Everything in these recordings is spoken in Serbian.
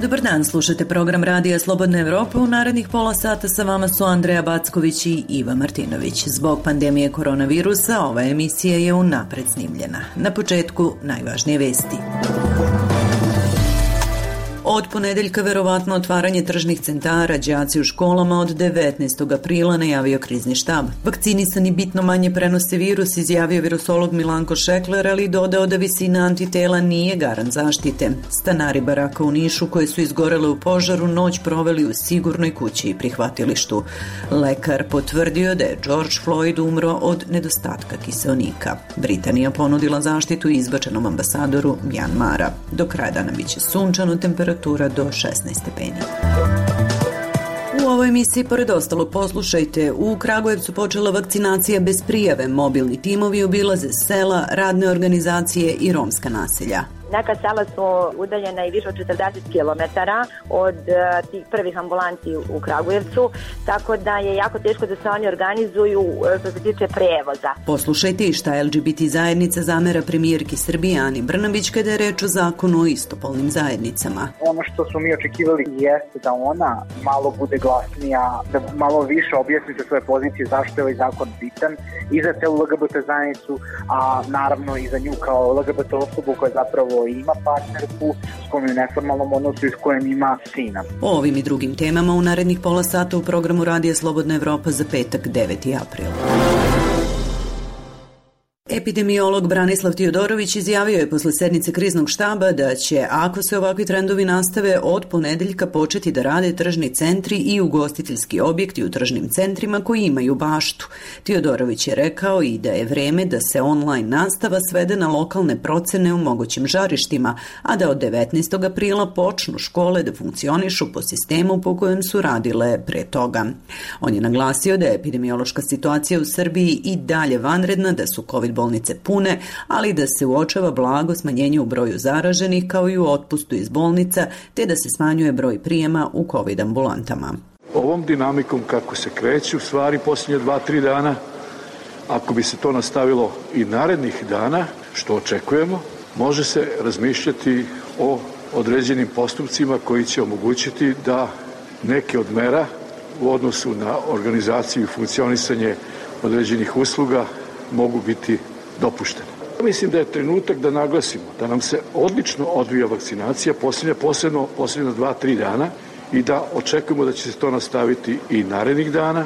Dobar dan, slušate program Radija Slobodna Evropa. U narednih pola sata sa vama su Andreja Backović i Iva Martinović. Zbog pandemije koronavirusa ova emisija je unapred snimljena. Na početku najvažnije vesti. Od ponedeljka verovatno otvaranje tržnih centara, đaci u školama od 19. aprila najavio krizni štab. Vakcinisani bitno manje prenose virus, izjavio virusolog Milanko Šekler, ali dodao da visina antitela nije garant zaštite. Stanari baraka u Nišu koje su izgorele u požaru noć proveli u sigurnoj kući i prihvatilištu. Lekar potvrdio da je George Floyd umro od nedostatka kiseonika. Britanija ponudila zaštitu izbačenom ambasadoru Mjanmara. Do kraja dana biće sunčano, temperatura do 16 stepeni. U ovoj emisiji, pored ostalog, poslušajte, u Kragujevcu počela vakcinacija bez prijave. Mobilni timovi obilaze sela, radne organizacije i romska naselja. Neka sela su udaljena i više od 40 km od tih prvih ambulanti u Kragujevcu, tako da je jako teško da se oni organizuju što se tiče prevoza. Poslušajte i šta LGBT zajednica zamera premijerki Srbije Ani Brnabić kada je reč o zakonu o istopolnim zajednicama. Ono što smo mi očekivali jeste da ona malo bude glasnija, da malo više objasni sa svoje pozicije zašto je ovaj zakon bitan i za celu LGBT zajednicu, a naravno i za nju kao LGBT osobu koja zapravo ima partnerku s kojom je u neformalnom odnosu i s kojom ima sina. O ovim i drugim temama u narednih pola sata u programu Radija Slobodna Evropa za petak 9. april. Epidemiolog Branislav Tiodorović izjavio je posle sednice kriznog štaba da će, ako se ovakvi trendovi nastave, od ponedeljka početi da rade tržni centri i ugostiteljski objekti u tržnim centrima koji imaju baštu. Tiodorović je rekao i da je vreme da se online nastava svede na lokalne procene u mogućim žarištima, a da od 19. aprila počnu škole da funkcionišu po sistemu po kojem su radile pre toga. On je naglasio da je epidemiološka situacija u Srbiji i dalje vanredna, da su COVID bolnice pune, ali da se uočava blago smanjenje u broju zaraženih kao i u otpustu iz bolnica, te da se smanjuje broj prijema u COVID ambulantama. Ovom dinamikom kako se kreću stvari posljednje 2-3 dana, ako bi se to nastavilo i narednih dana, što očekujemo, može se razmišljati o određenim postupcima koji će omogućiti da neke od mera u odnosu na organizaciju i funkcionisanje određenih usluga mogu biti dopuštene. Mislim da je trenutak da naglasimo da nam se odlično odvija vakcinacija posebno 2-3 dana i da očekujemo da će se to nastaviti i narednih dana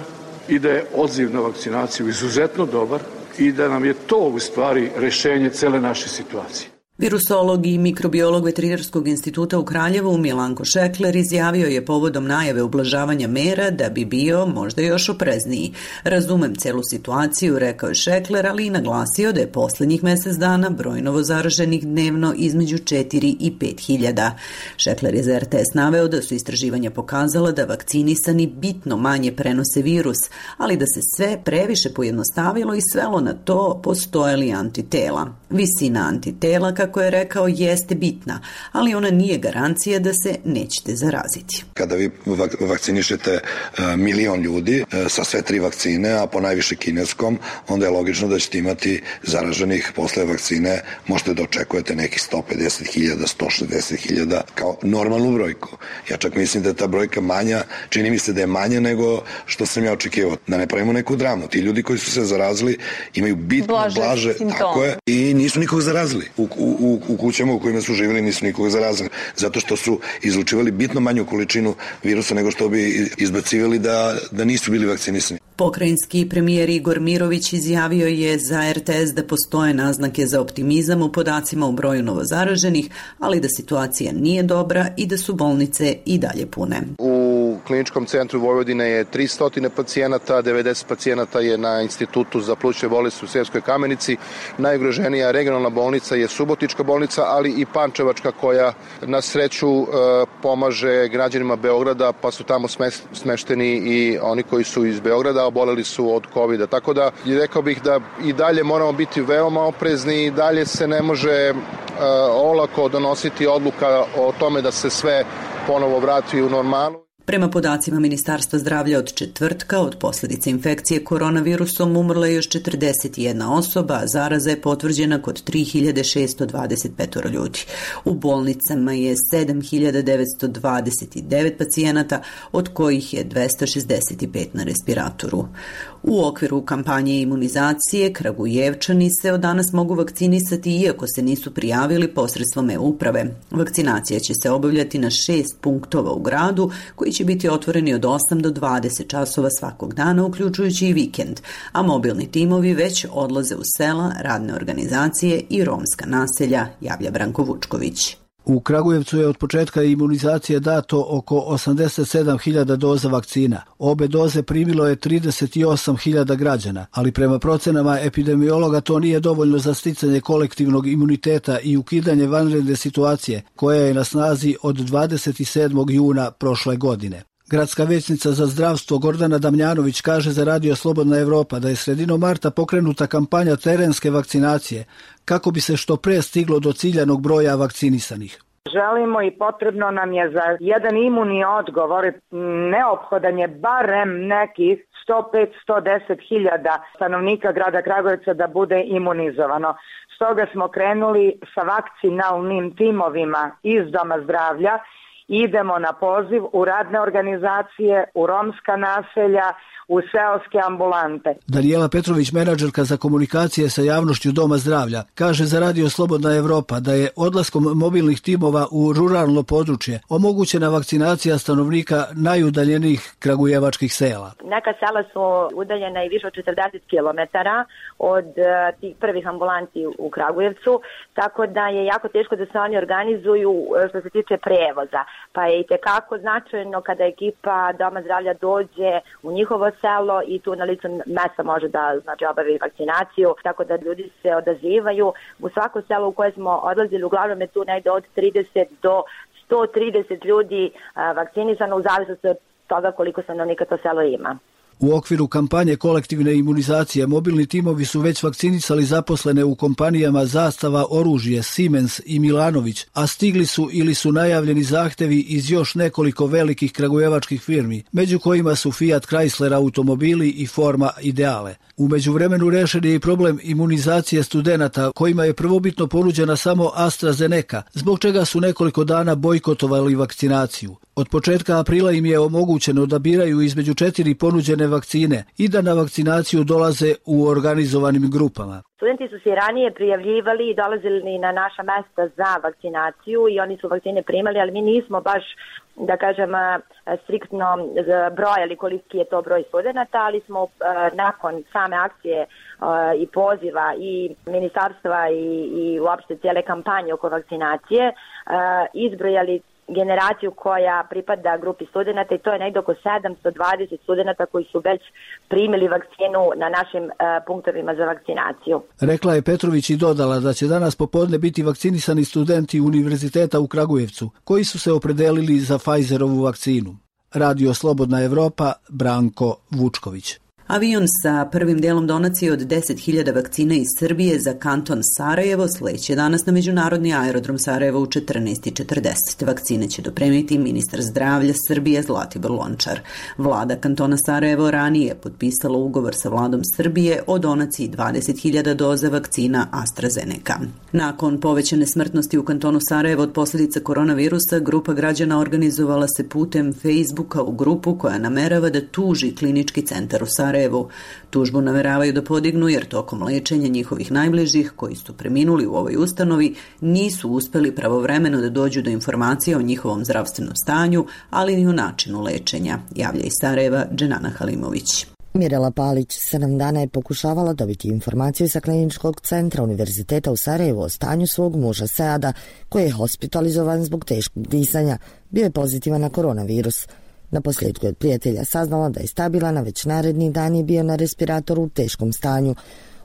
i da je odziv na vakcinaciju izuzetno dobar i da nam je to u stvari rešenje cele naše situacije. Virusolog i mikrobiolog Veterinarskog instituta u Kraljevu Milanko Šekler izjavio je povodom najave ublažavanja mera da bi bio možda još oprezniji. Razumem celu situaciju, rekao je Šekler, ali i naglasio da je poslednjih mesec dana broj novozaraženih dnevno između 4 i 5 hiljada. Šekler je za RTS naveo da su istraživanja pokazala da vakcinisani bitno manje prenose virus, ali da se sve previše pojednostavilo i svelo na to postoje li antitela. Visina antitela, kako je rekao, jeste bitna, ali ona nije garancija da se nećete zaraziti. Kada vi vakcinišete milion ljudi sa sve 3 vakcine, a po najviše kineskom, onda je logično da ćete imati zaraženih posle vakcine, možete da očekujete nekih 150.000, 160.000 kao normalnu brojku. Ja čak mislim da je ta brojka manja, čini mi se da je manja nego što sam ja očekivao. Da ne pravimo neku dramu. Ti ljudi koji su se zarazili imaju bitno blaže, tako je, i nisu nikog zarazili. U kućama u kojima su živjeli nisu nikoga zarazili, zato što su izlučivali bitno manju količinu virusa nego što bi izbacivali da nisu bili vakcinisani. Pokrajinski premijer Igor Mirović izjavio je za RTS da postoje naznake za optimizam u podacima u broju novozaraženih, ali da situacija nije dobra i da su bolnice i dalje pune. U kliničkom centru Vojvodine je 300 pacijenata, 90 pacijenata je na Institutu za plućne bolesti u Sremskoj Kamenici. Najugroženija regionalna bolnica je Subotička bolnica, ali i Pančevačka koja na sreću pomaže građanima Beograda, pa su tamo smešteni i oni koji su iz Beograda, oboleli su od COVID-a. Tako da rekao bih da i dalje moramo biti veoma oprezni i dalje se ne može olako donositi odluka o tome da se sve ponovo vrati u normalu. Prema podacima Ministarstva zdravlja od četvrtka, od posljedice infekcije koronavirusom umrla je još 41 osoba, a zaraza je potvrđena kod 3625 ljudi. U bolnicama je 7929 pacijenata, od kojih je 265 na respiratoru. U okviru kampanje imunizacije Kragujevčani se od danas mogu vakcinisati iako se nisu prijavili posredstvom e-uprave. Vakcinacija će se obavljati na 6 punktova u gradu koji će biti otvoreni od 8 do 20 časova svakog dana, uključujući i vikend, a mobilni timovi već odlaze u sela, radne organizacije i romska naselja, javlja Branko Vučković. U Kragujevcu je od početka imunizacije dato oko 87.000 doza vakcina. Obe doze primilo je 38.000 građana, ali prema procenama epidemiologa to nije dovoljno za sticanje kolektivnog imuniteta i ukidanje vanredne situacije, koja je na snazi od 27. juna prošle godine. Gradska vijećnica za zdravstvo Gordana Damljanović kaže za Radio Slobodna Evropa da je sredinom marta pokrenuta kampanja terenske vakcinacije kako bi se što pre stiglo do ciljanog broja vakcinisanih. Želimo i potrebno nam je za jedan imuni odgovor, neophodan je barem nekih 105-110 hiljada stanovnika grada Kragujevca da bude imunizovano. Stoga smo krenuli sa vakcinalnim timovima iz Doma zdravlja. Idemo na poziv u radne organizacije, u romska naselja, u seoske ambulante. Daniela Petrović, menadžerka za komunikacije sa javnošću Doma zdravlja, kaže za Radio Slobodna Evropa da je odlaskom mobilnih timova u ruralno područje omogućena vakcinacija stanovnika najudaljenijih kragujevačkih sela. Neka sela su udaljena i više od 40 km od tih prvih ambulanti u Kragujevcu, tako da je jako teško da se oni organizuju što se tiče prevoza. Pa je i tekako značajno kada ekipa Doma zdravlja dođe u njihovo selo i tu na licu mesta može da obavi vakcinaciju, tako da ljudi se odazivaju. U svako selo u koje smo odlazili uglavnom je tu negde od 30 do 130 ljudi vakcinisano u zavisnosti od toga koliko stanovnika to selo ima. U okviru kampanje kolektivne imunizacije mobilni timovi su već vakcinisali zaposlene u kompanijama Zastava oružje, Siemens i Milanović, a stigli su ili su najavljeni zahtevi iz još nekoliko velikih kragujevačkih firmi, među kojima su Fiat Chrysler automobili i Forma Ideale. U međuvremenu rešen je i problem imunizacije studenata, kojima je prvobitno ponuđena samo AstraZeneca, zbog čega su nekoliko dana bojkotovali vakcinaciju. Od početka aprila im je omogućeno da biraju između 4 ponuđene vakcine i da na vakcinaciju dolaze u organizovanim grupama. Studenti su se ranije prijavljivali i dolazili na naša mesta za vakcinaciju i oni su vakcine primali, ali mi nismo baš, da kažem, striktno brojali koliki je to broj studenata, ali smo nakon same akcije i poziva i ministarstva i uopšte cijele kampanje oko vakcinacije izbrojali generaciju koja pripada grupi studenata i to je negdje oko 720 studenata koji su već primili vakcinu na našim punktovima za vakcinaciju. Rekla je Petrović i dodala da će danas popodne biti vakcinisani studenti Univerziteta u Kragujevcu koji su se opredelili za Pfizerovu vakcinu. Radio Slobodna Evropa, Branko Vučković. Avion sa prvim delom donacije od 10.000 vakcina iz Srbije za kanton Sarajevo sleće danas na međunarodni aerodrom Sarajevo u 14:40. Vakcine će dopremiti ministar zdravlja Srbije Zlatibor Lončar. Vlada kantona Sarajevo ranije je potpisala ugovor sa vladom Srbije o donaciji 20.000 doza vakcina AstraZeneca. Nakon povećane smrtnosti u kantonu Sarajevo od posljedica koronavirusa, grupa građana organizovala se putem Facebooka u grupu koja namerava da tuži klinički centar u Sarajevu. Tužbu nameravaju da podignu jer tokom lečenja njihovih najbližih koji su preminuli u ovoj ustanovi nisu uspeli pravovremeno da dođu do informacija o njihovom zdravstvenom stanju, ali ni o načinu lečenja, javlja iz Sarajeva Dženana Halimović. Mirela Palić 7 dana je pokušavala dobiti informaciju sa kliničkog centra Univerziteta u Sarajevu o stanju svog muža Seada, koji je hospitalizovan zbog teškog disanja. Bio je pozitivan na koronavirus. Na posljedku je od prijatelja saznala da je stabilan, a već naredni dan je bio na respiratoru u teškom stanju.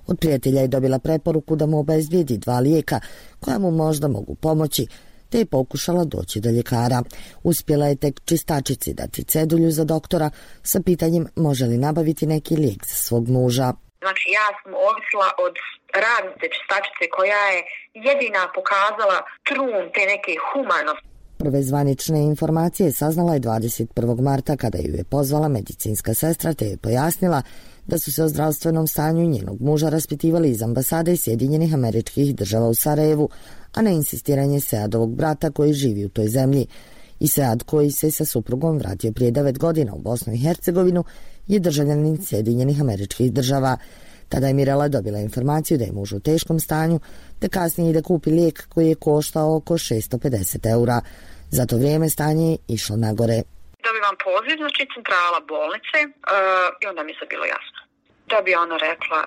Od prijatelja je dobila preporuku da mu obezbijedi 2 lijeka koja mu možda mogu pomoći, te je pokušala doći do ljekara. Uspjela je tek čistačici dati cedulju za doktora sa pitanjem može li nabaviti neki lijek za svog muža. Znači ja sam ovisila od radnice čistačice koja je jedina pokazala trun te neke humanosti. Prve zvanične informacije saznala je 21. marta kada ju je pozvala medicinska sestra te je pojasnila da su se o zdravstvenom stanju njenog muža raspitivali iz ambasade Sjedinjenih Američkih Država u Sarajevu, a na insistiranje Seadovog brata koji živi u toj zemlji. I Sead, koji se sa suprugom vratio prije 9 godina u Bosnu i Hercegovinu, je državljanin Sjedinjenih Američkih Država. Tada je Mirela dobila informaciju da je muž u teškom stanju, te kasnije da kupi lijek koji je koštao oko 650 eura. Za to vrijeme stanje je išlo nagore. Dobivam poziv, znači centrala bolnice i onda mi je bilo jasno. Da bi ona rekla,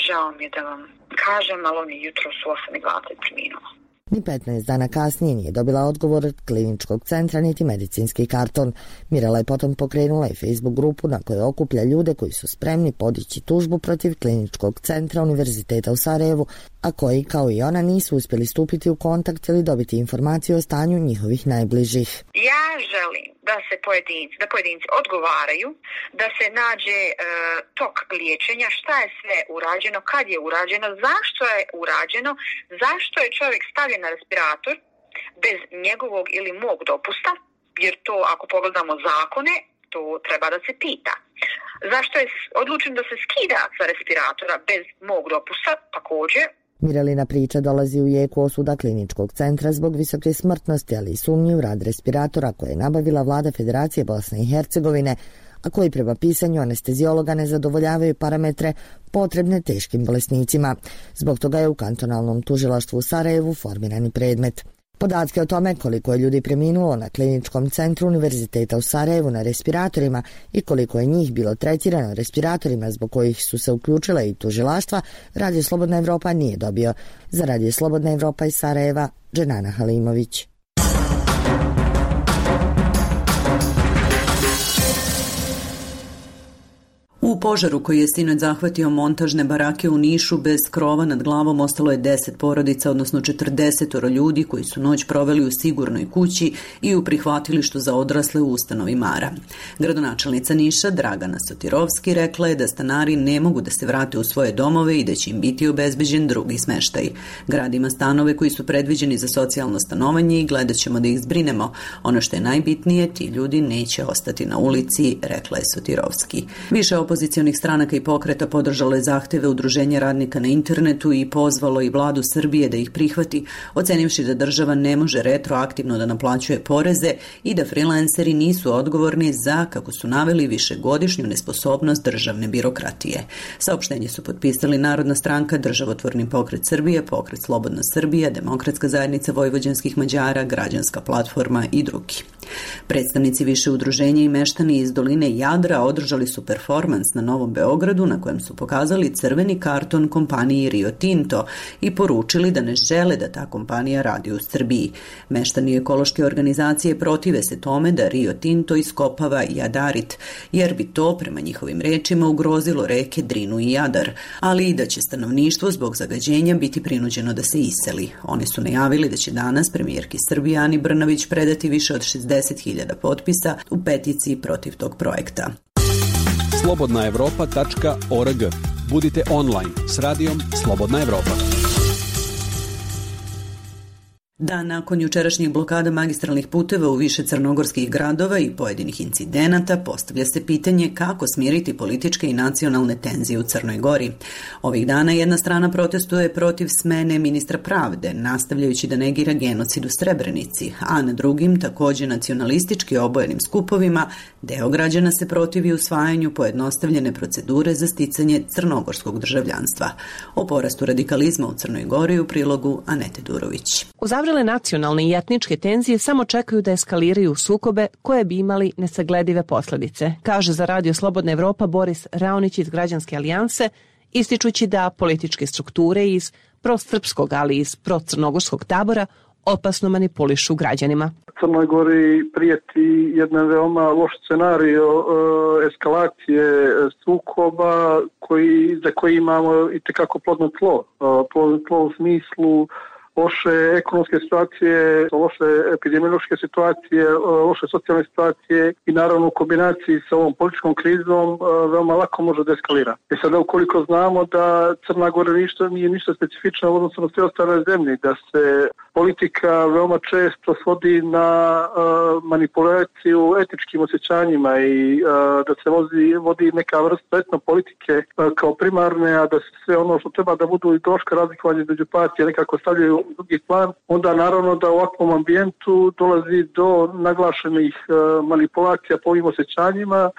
žao mi je da vam kažem, ali on je jutros u 8:20 preminuo. Ni 15 dana kasnije nije dobila odgovor od kliničkog centra niti medicinski karton. Mirela je potom pokrenula i Facebook grupu na kojoj okuplja ljude koji su spremni podići tužbu protiv kliničkog centra Univerziteta u Sarajevu, a koji, kao i ona, nisu uspjeli stupiti u kontakt ili dobiti informaciju o stanju njihovih najbližih. Ja želim da pojedinci odgovaraju, da se nađe tok liječenja, šta je sve urađeno, kad je urađeno, zašto je urađeno, zašto je čovjek stavljen na respirator bez njegovog ili mog dopusta, jer to ako pogledamo zakone, to treba da se pita. Zašto je odlučen da se skida sa respiratora bez mog dopusta, također. Mirelina priča dolazi u jeku osuda kliničkog centra zbog visoke smrtnosti, ali i sumnji u rad respiratora koje je nabavila vlada Federacije Bosne i Hercegovine, a koji prema pisanju anestezijologa ne zadovoljavaju parametre potrebne teškim bolesnicima. Zbog toga je u kantonalnom tužilaštvu u Sarajevu formirani predmet. Podatke o tome koliko je ljudi preminulo na kliničkom centru Univerziteta u Sarajevu na respiratorima i koliko je njih bilo tretirano respiratorima zbog kojih su se uključile i tužilaštva, Radio Slobodna Evropa nije dobio. Za Radio Slobodna Evropa iz Sarajeva, Dženana Halimović. U požaru koji je sinoć zahvatio montažne barake u Nišu, bez krova nad glavom ostalo je 10 porodica, odnosno 40 ljudi koji su noć proveli u sigurnoj kući i u prihvatilištu za odrasle u ustanovi Mara. Gradonačelnica Niša, Dragana Sotirovski, rekla je da stanari ne mogu da se vrate u svoje domove i da će im biti obezbeđen drugi smeštaj. Grad ima stanove koji su predviđeni za socijalno stanovanje i gledat ćemo da ih zbrinemo. Ono što je najbitnije, ti ljudi neće ostati na ulici, rekla je Sotirovski. Više opozicionih stranaka i pokreta podržalo je zahteve Udruženja radnika na internetu i pozvalo i vladu Srbije da ih prihvati, ocenivši da država ne može retroaktivno da naplaćuje poreze i da freelanceri nisu odgovorni za, kako su naveli, višegodišnju nesposobnost državne birokratije. Saopštenje su potpisali Narodna stranka, Državotvorni pokret Srbije, Pokret Slobodna Srbija, Demokratska zajednica vojvođanskih Mađara, Građanska platforma i drugi. Predstavnici više udruženja i meštani iz doline Jadra održali su performans na Novom Beogradu na kojem su pokazali crveni karton kompaniji Rio Tinto i poručili da ne žele da ta kompanija radi u Srbiji. Meštani ekološke organizacije protive se tome da Rio Tinto iskopava jadarit, jer bi to, prema njihovim rečima, ugrozilo reke Drinu i Jadar, ali i da će stanovništvo zbog zagađenja biti prinuđeno da se iseli. Oni su najavili da će danas premijerki Srbije Ani Brnabić predati više od 60.000 potpisa u peticiji protiv tog projekta. slobodnaevropa.org. Budite online s radijom Slobodna Evropa. Dan nakon jučerašnjih blokada magistralnih puteva u više crnogorskih gradova i pojedinih incidenata postavlja se pitanje kako smiriti političke i nacionalne tenzije u Crnoj Gori. Ovih dana jedna strana protestuje protiv smene ministra pravde, nastavljajući da negira genocid u Srebrenici, a na drugim, također nacionalistički obojenim skupovima, deo građana se protivi usvajanju pojednostavljene procedure za sticanje crnogorskog državljanstva. O porastu radikalizma u Crnoj Gori u prilogu Anete Durović. Uzavrele nacionalne i etničke tenzije samo čekaju da eskaliraju sukobe koje bi imali nesagledive posljedice, kaže za Radio Slobodna Evropa Boris Raonić iz Građanske alijanse, ističući da političke strukture iz prosrpskog, ali i iz procrnogorskog tabora opasno manipulišu građanima. Crnoj Gori prijeti jedan veoma loš scenario eskalacije sukoba za koji imamo itekako plodno tlo. Plodno tlo u smislu loše ekonomske situacije, loše epidemiološke situacije, loše socijalne situacije i naravno u kombinaciji sa ovom političkom krizom veoma lako može da eskalira. I sada ukoliko znamo da Crna Gora nije ništa specifično u odnosu na sve ostale zemlje, da se politika veoma često svodi na manipulaciju etičkim osjećanjima i da se vodi neka vrsta etnopolitike kao primarne, a da se sve ono što treba da budu ideološka razlikovanja među partije nekako stavljaju u drugi plan, onda naravno da u ovakvom ambijentu dolazi do naglašenih manipulacija po ovim osjećanjima.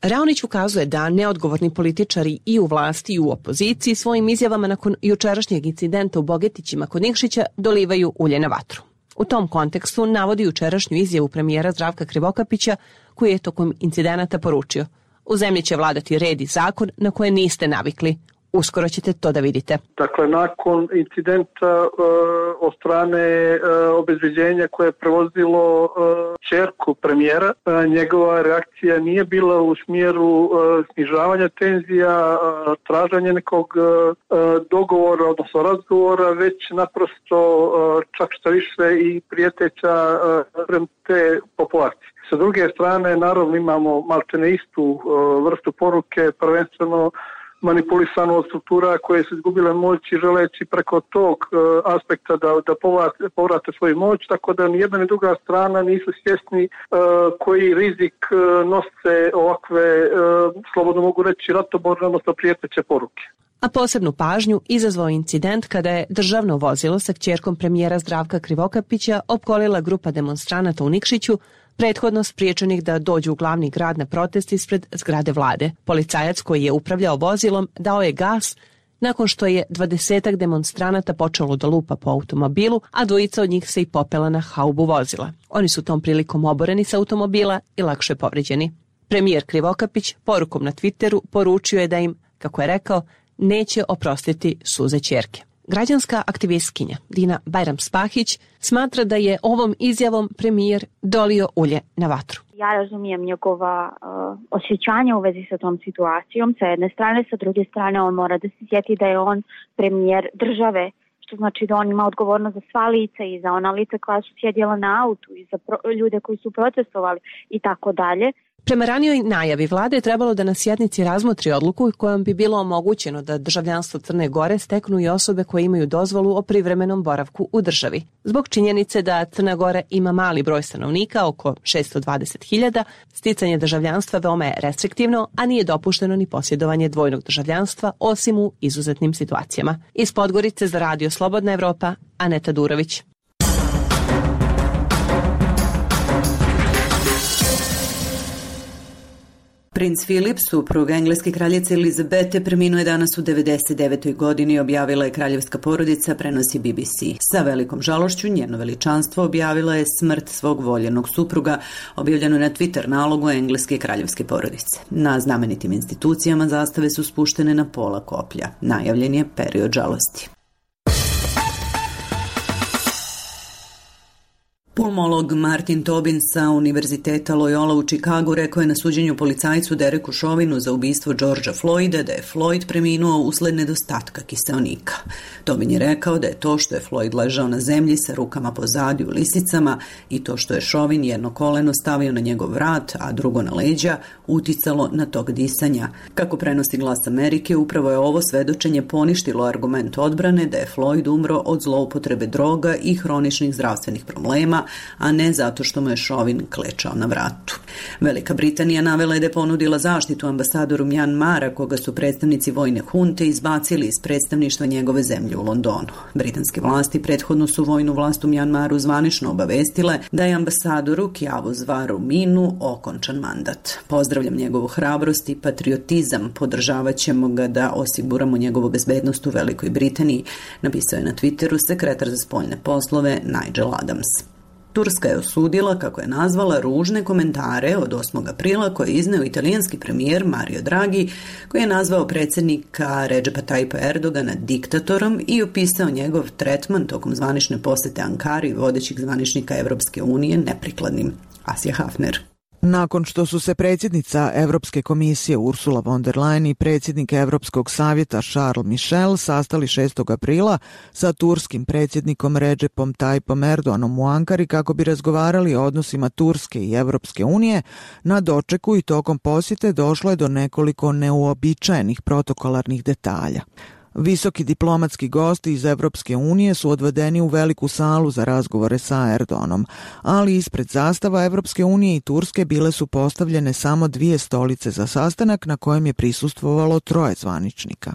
Raonić ukazuje da neodgovorni političari i u vlasti i u opoziciji svojim izjavama nakon jučerašnjeg incidenta u Bogetićima kod Nikšića dolivaju ulje na vatru. U tom kontekstu navodi jučerašnju izjavu premijera Zdravka Krivokapića koji je tokom incidenata poručio: u zemlji će vladati red i zakon na koje niste navikli. Uskoro ćete to da vidite. Dakle, nakon incidenta od strane obezbeđenja koje je prevozilo ćerku premijera, njegova reakcija nije bila u smjeru snižavanja tenzija, traženja nekog dogovora, odnosno razgovora, već naprosto čak što više i prijeteća prema te populacije. Sa druge strane, naravno imamo maltene istu vrstu poruke, prvenstveno manipulisano od struktura koje su izgubile moć i želeći preko tog aspekta da povrate svoju moć, tako da ni jedna ni druga strana nisu svjesni koji rizik nose ovakve, slobodno mogu reći, ratoborne, odnosno prijeteće poruke. A posebnu pažnju izazvao incident kada je državno vozilo sa kćerkom premijera Zdravka Krivokapića opkolila grupa demonstranata u Nikšiću, prethodno spriječenih da dođu u glavni grad na protest ispred zgrade vlade. Policajac koji je upravljao vozilom dao je gas nakon što je 20 demonstranata počelo da lupa po automobilu, a dvojica od njih se i popela na haubu vozila. Oni su tom prilikom oboreni sa automobila i lakše povređeni. Premijer Krivokapić porukom na Twitteru poručio je da im, kako je rekao, neće oprostiti suze ćerke. Građanska aktivistkinja Dina Bajram-Spahić smatra da je ovom izjavom premijer dolio ulje na vatru. Ja razumijem njegova osjećanja u vezi sa tom situacijom, sa jedne strane, sa druge strane on mora da se sjeti da je on premijer države, što znači da on ima odgovornost za sva lica i za ona lica koja su sjedjela na autu i za ljude koji su protestovali i tako dalje. Prema ranijoj najavi vlade je trebalo da na sjednici razmotri odluku kojom bi bilo omogućeno da državljanstvo Crne Gore steknu i osobe koje imaju dozvolu o privremenom boravku u državi. Zbog činjenice da Crna Gora ima mali broj stanovnika, oko 620.000, sticanje državljanstva veoma je restriktivno, a nije dopušteno ni posjedovanje dvojnog državljanstva osim u izuzetnim situacijama. Iz Podgorice za Radio Slobodna Evropa, Aneta Durović. Princ Filip, suprug engleske kraljice Elizabete, preminuo je danas u 99. godini, objavila je kraljevska porodica, prenosi BBC. Sa velikom žalošću njeno veličanstvo objavila je smrt svog voljenog supruga, objavljeno na Twitter nalogu engleske kraljevske porodice. Na znamenitim institucijama zastave su spuštene na pola koplja. Najavljen je period žalosti. Pulmolog Martin Tobin sa Univerziteta Loyola u Čikagu rekao je na suđenju policajcu Dereku Chauvinu za ubistvo Georgea Floyda da je Floyd preminuo usled nedostatka kiseonika. Tobin je rekao da je to što je Floyd ležao na zemlji sa rukama pozadi u lisicama i to što je Chauvin jedno koleno stavio na njegov vrat, a drugo na leđa, uticalo na tok disanja. Kako prenosi Glas Amerike, upravo je ovo svedočenje poništilo argument odbrane da je Floyd umro od zloupotrebe droga i hroničnih zdravstvenih problema, a ne zato što mu je Chauvin klečao na vratu. Velika Britanija navela je da je ponudila zaštitu ambasadoru Mjanmara, koga su predstavnici vojne hunte izbacili iz predstavništva njegove zemlje u Londonu. Britanske vlasti prethodno su vojnu vlast u Mjanmaru zvanično obavestile da je ambasadoru Kjavu Zvaru Minu okončan mandat. Pozdravljam njegovu hrabrost i patriotizam, podržavat ćemo ga da osiguramo njegovu bezbednost u Velikoj Britaniji, napisao je na Twitteru sekretar za spoljne poslove Nigel Adams. Turska je osudila, kako je nazvala, ružne komentare od 8. aprila koje je izneo italijanski premijer Mario Draghi, koji je nazvao predsjednika Redžepa Tayyipa Erdogana diktatorom i opisao njegov tretman tokom zvanične posete Ankari vodećih zvaničnika Evropske unije neprikladnim. Asja Hafner. Nakon što su se predsjednica Evropske komisije Ursula von der Leyen i predsjednik Evropskog savjeta Charles Michel sastali 6. aprila sa turskim predsjednikom Recepom Tayyipom Erdoganom u Ankari kako bi razgovarali o odnosima Turske i Evropske unije, na dočeku i tokom posjete došlo je do nekoliko neuobičajenih protokolarnih detalja. Visoki diplomatski gosti iz Evropske unije su odvedeni u veliku salu za razgovore sa Erdoganom, ali ispred zastava Evropske unije i Turske bile su postavljene samo 2 stolice za sastanak na kojem je prisustvovalo 3 zvaničnika.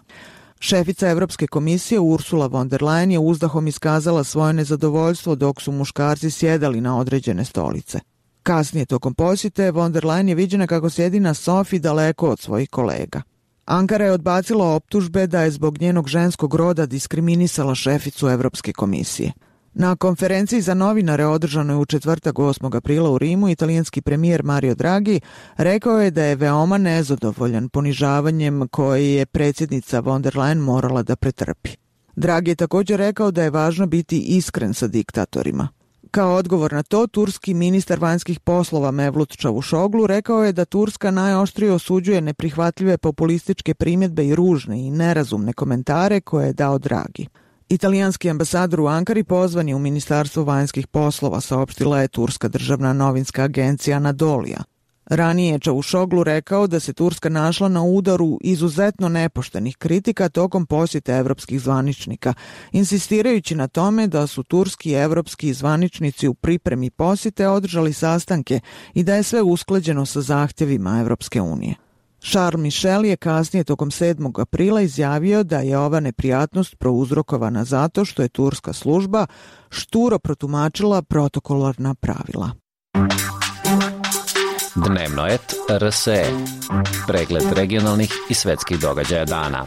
Šefica Evropske komisije Ursula von der Leyen je uzdahom iskazala svoje nezadovoljstvo dok su muškarci sjedali na određene stolice. Kasnije tokom posjete von der Leyen je viđena kako sjedi na sofi daleko od svojih kolega. Ankara je odbacila optužbe da je zbog njenog ženskog roda diskriminisala šeficu Evropske komisije. Na konferenciji za novinare održanoj u četvrtak 8. aprila u Rimu, italijanski premijer Mario Draghi rekao je da je veoma nezadovoljan ponižavanjem koje je predsjednica von der Leyen morala da pretrpi. Draghi je također rekao da je važno biti iskren sa diktatorima. Kao odgovor na to, turski ministar vanjskih poslova Mevlut Čavuşoglu rekao je da Turska najoštrije osuđuje neprihvatljive populističke primjedbe i ružne i nerazumne komentare koje je dao Draghi. Italijanski ambasador u Ankari pozvan je u Ministarstvo vanjskih poslova, saopštila je turska državna novinska agencija Anadolija. Ranije je Čavuşoglu rekao da se Turska našla na udaru izuzetno nepoštenih kritika tokom posjete evropskih zvaničnika, insistirajući na tome da su turski i evropski zvaničnici u pripremi posjete održali sastanke i da je sve usklađeno sa zahtjevima Evropske unije. Charles Michel je kasnije tokom 7. aprila izjavio da je ova neprijatnost prouzrokovana zato što je turska služba šturo protumačila protokolarna pravila. Dnevno et RSE. Pregled regionalnih i svetskih događaja dana.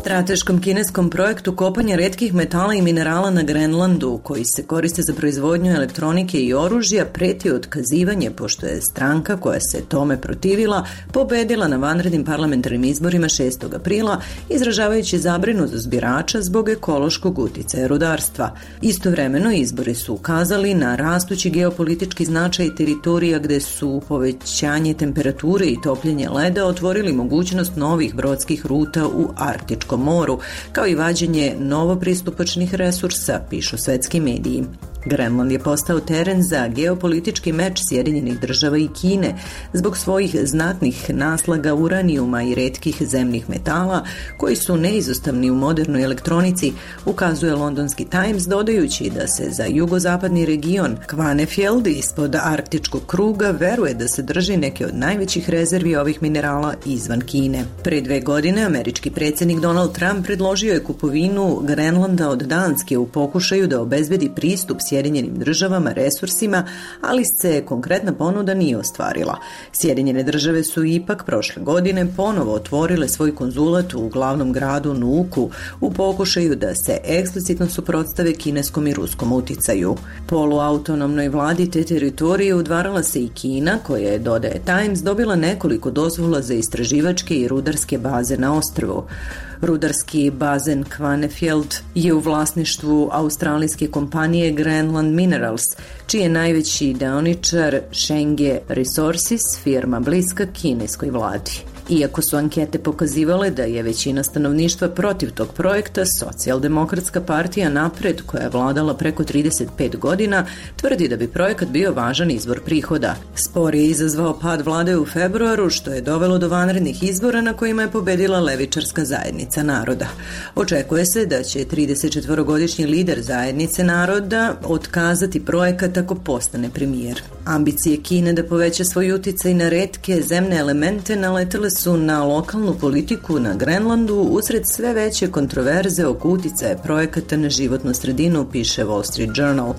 Strateškom kineskom projektu kopanja retkih metala i minerala na Grenlandu, koji se koriste za proizvodnju elektronike i oružja, preti otkazivanje pošto je stranka koja se tome protivila pobedila na vanrednim parlamentarnim izborima 6. aprila, izražavajući zabrinutost birača zbog ekološkog uticaja rudarstva. Istovremeno izbori su ukazali na rastući geopolitički značaj teritorija gde su povećanje temperature i topljenje leda otvorili mogućnost novih brodskih ruta u Arktičkom moru, kao i vađenje novopristupačnih resursa, pišu svetski mediji. Grenland je postao teren za geopolitički meč Sjedinjenih država i Kine zbog svojih znatnih naslaga uranijuma i retkih zemnih metala koji su neizostavni u modernoj elektronici, ukazuje londonski Times, dodajući da se za jugozapadni region Kvanefjeld ispod arktičkog kruga veruje da se drži neke od najvećih rezervi ovih minerala izvan Kine. Pre 2 godine američki predsjednik Donald Trump predložio je kupovinu Grenlanda od Danske u pokušaju da obezbedi pristup Sjedinjenim državama resursima, ali se konkretna ponuda nije ostvarila. Sjedinjene države su ipak prošle godine ponovo otvorile svoj konzulat u glavnom gradu Nuuku u pokušaju da se eksplicitno suprotstave kineskom i ruskom uticaju. Poluautonomnoj vladi te teritorije udvarala se i Kina, koja je, dodaje Times, dobila nekoliko dozvola za istraživačke i rudarske baze na ostrvu. Rudarski bazen Kvanefjeld je u vlasništvu australijske kompanije Grenland Minerals, čiji je najveći deoničar Shenge Resources, firma bliska kineskoj vladi. Iako su ankete pokazivale da je većina stanovništva protiv tog projekta, Socijaldemokratska partija Napred, koja je vladala preko 35 godina, tvrdi da bi projekat bio važan izvor prihoda. Spor je izazvao pad vlade u februaru, što je dovelo do vanrednih izbora na kojima je pobedila levičarska zajednica naroda. Očekuje se da će 34-godišnji lider zajednice naroda otkazati projekat ako postane premijer. Ambicije Kine da poveća svoj uticaj na retke zemne elemente naletele su na lokalnu politiku na Grenlandu usred sve veće kontroverze oko uticaja projekata na životnu sredinu, piše Wall Street Journal.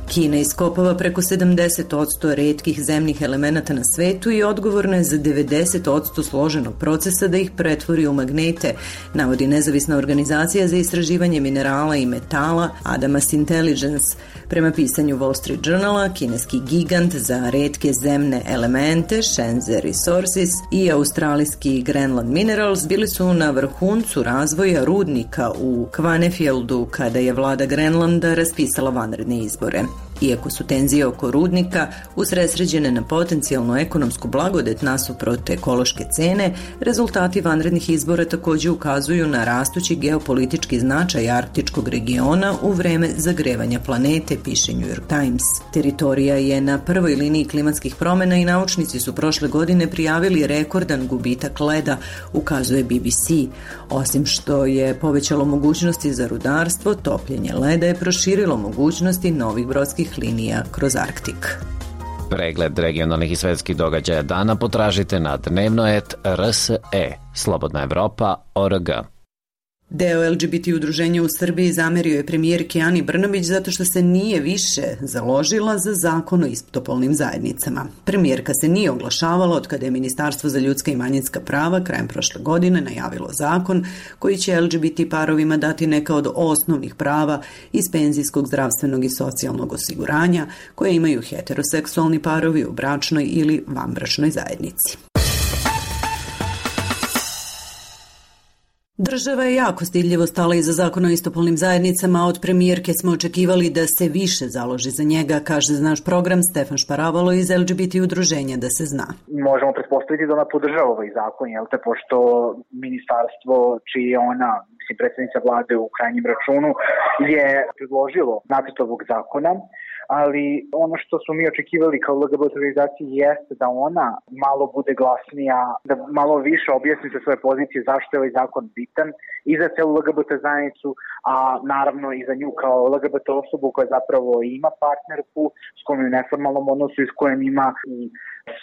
Kina iskopava preko 70% retkih zemnih elemenata na svetu i odgovorna je za 90% složenog procesa da ih pretvori u magnete, navodi nezavisna organizacija za istraživanje minerala i metala Adamas Intelligence. Prema pisanju Wall Street Journala, kineski gigant za retke zemne elemente Shenzhe Resources i australijski Grenland Minerals bili su na vrhuncu razvoja rudnika u Kvanefjeldu kada je vlada Grenlanda raspisala vanredne izbore. Iako su tenzije oko rudnika usredsređene na potencijalnu ekonomsku blagodet nasuprot ekološke cene, rezultati vanrednih izbora također ukazuju na rastući geopolitički značaj arktičkog regiona u vreme zagrevanja planete, piše New York Times. Teritorija je na prvoj liniji klimatskih promjena i naučnici su prošle godine prijavili rekordan gubitak leda, ukazuje BBC. Osim što je povećalo mogućnosti za rudarstvo, topljenje leda je proširilo mogućnosti novih brodskih linija kroz Arktik. Pregled regionalnih i svetskih događaja dana potražite na dnevno.rse, slobodnaevropa.org. Deo LGBT udruženja u Srbiji zamerio je premijerki Ani Brnabić zato što se nije više založila za zakon o istopolnim zajednicama. Premijerka se nije oglašavala od kada je Ministarstvo za ljudska i manjinska prava krajem prošle godine najavilo zakon koji će LGBT parovima dati neka od osnovnih prava iz penzijskog, zdravstvenog i socijalnog osiguranja koje imaju heteroseksualni parovi u bračnoj ili vanbračnoj zajednici. Država je jako stidljivo stala iza zakona o istopolnim zajednicama, a od premijerke smo očekivali da se više založi za njega, kaže za naš program Stefan Šparavalo iz LGBT udruženja Da se zna. Možemo pretpostaviti da ona podržava ovaj zakon, pošto ministarstvo čiji je ona, predsjednica vlade u krajnjem računu, je predložilo nacrt ovog zakona, ali ono što smo mi očekivali kao LGBT organizaciji jeste da ona malo bude glasnija, da malo više objasni sa svoje pozicije zašto je ovaj zakon bitan i za celu LGBT zajednicu, a naravno i za nju kao LGBT osobu koja zapravo ima partnerku s kojom je u neformalnom odnosu i s kojom ima i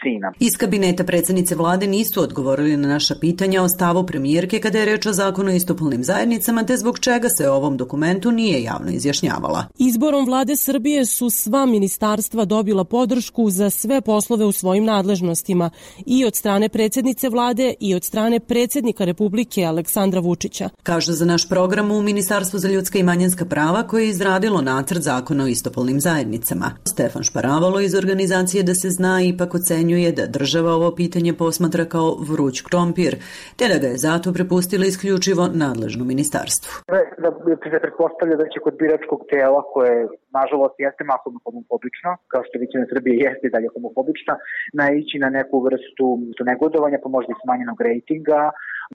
sina. Iz kabineta predsjednice vlade nisu odgovorili na naša pitanja o stavu premijerke kada je reč o zakonu o istopolnim zajednicama, te zbog čega se o ovom dokumentu nije javno izjašnjavala. Izborom vlade Srbije su sva ministarstva dobila podršku za sve poslove u svojim nadležnostima i od strane predsjednice vlade i od strane predsjednika Republike Aleksandra Vučića. Kažu za naš program u Ministarstvu za ljudska i manjinska prava koje je izradilo nacrt zakona o istopolnim zajednicama. Stefan Šparavalo iz organizacije Da se zna ipak ocenjuje da država ovo pitanje posmatra kao vruć krompir, te da ga je zato prepustila isključivo nadležno ministarstvu. Da se pretpostavlja da će kod biračkog tela, koje nažalost jeste masovno homofobično, kao što većina Srbije jeste i dalje homofobična, naići na neku vrstu negodovanja, pa možda i smanjenog rejtinga.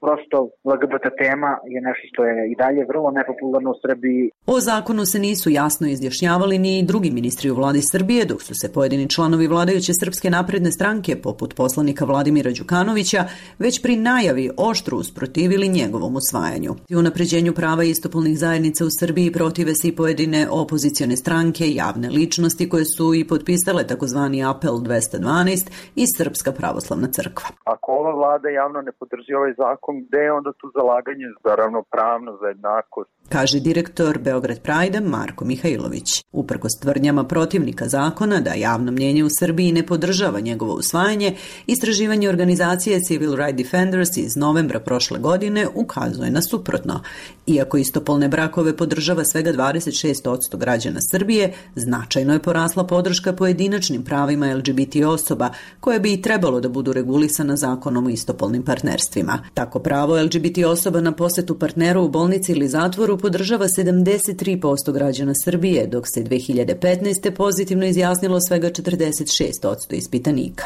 Prosto LGBT tema je nešto što je i dalje vrlo nepopularno u Srbiji. O zakonu se nisu jasno izjašnjavali ni drugi ministri u vladi Srbije, dok su se pojedini članovi vladajuće Srpske napredne stranke, poput poslanika Vladimira Đukanovića, već pri najavi oštro usprotivili njegovom usvajanju. U unapređenju prava istopolnih zajednica u Srbiji protive se i pojedine opozicione stranke, javne ličnosti koje su i potpisale takozvani apel 212 i Srpska pravoslavna crkva. Ako ova vlada javno ne podrži ovaj zakon, gde je onda tu zalaganje za ravnopravnost, za jednakost? Kaže direktor Beograd Pride Marko Mihajlović. Uprkos tvrdnjama protivnika zakona da javno mnjenje u Srbiji ne podržava njegovo usvajanje, istraživanje organizacije Civil Rights Defenders iz novembra prošle godine ukazuje na suprotno. Iako istopolne brakove podržava svega 26% građana Srbije, značajno je porasla podrška pojedinačnim pravima LGBT osoba, koje bi i trebalo da budu regulisana zakonom o istopolnim partnerstvima. Tako pravo LGBT osoba na posetu partneru u bolnici ili zatvoru podržava 73% građana Srbije, dok se 2015. pozitivno izjasnilo svega 46% ispitanika.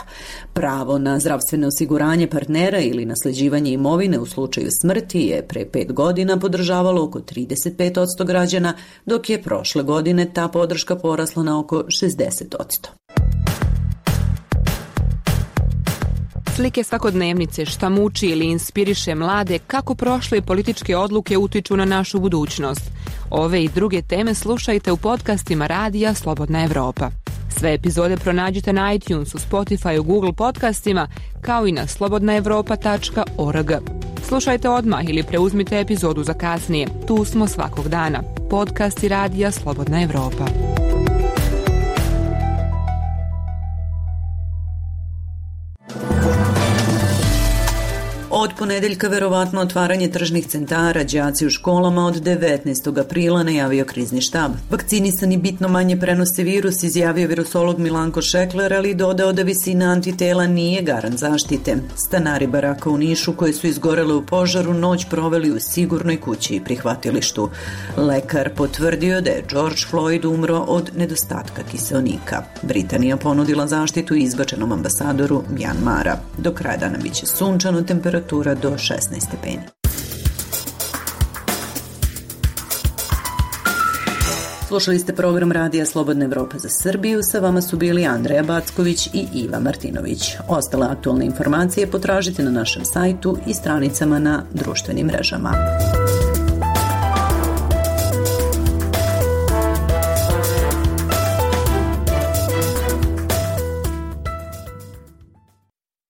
Pravo na zdravstveno osiguranje partnera ili nasleđivanje imovine u slučaju smrti je pre 5 godina podržavalo oko 35% građana, dok je prošle godine ta podrška porasla na oko 60%. Slike svakodnevnice, šta muči ili inspiriše mlade, kako prošle političke odluke utiču na našu budućnost. Ove i druge teme slušajte u podcastima Radija Slobodna Evropa. Sve epizode pronađite na iTunesu, Spotifyu, Google podcastima, kao i na slobodnaevropa.org. Slušajte odmah ili preuzmite epizodu za kasnije. Tu smo svakog dana. Podcasti Radija Slobodna Evropa. Od ponedeljka verovatno otvaranje tržnih centara, đaci u školama od 19. aprila najavio krizni štab. Vakcinisani bitno manje prenose virus, izjavio virusolog Milanko Šekler, ali dodao da visina antitela nije garant zaštite. Stanari baraka u Nišu koji su izgorele u požaru noć proveli u sigurnoj kući i prihvatilištu. Lekar potvrdio da je George Floyd umro od nedostatka kiseonika. Britanija ponudila zaštitu izbačenom ambasadoru Mjanmara. Do kraja dana biće sunčano, temperatura do 16 stepeni. Slušali ste program Radija Slobodna Evropa za Srbiju. Sa vama su bili Andreja Backović i Iva Martinović. Ostale aktualne informacije potražite na našem sajtu i stranicama na društvenim mrežama.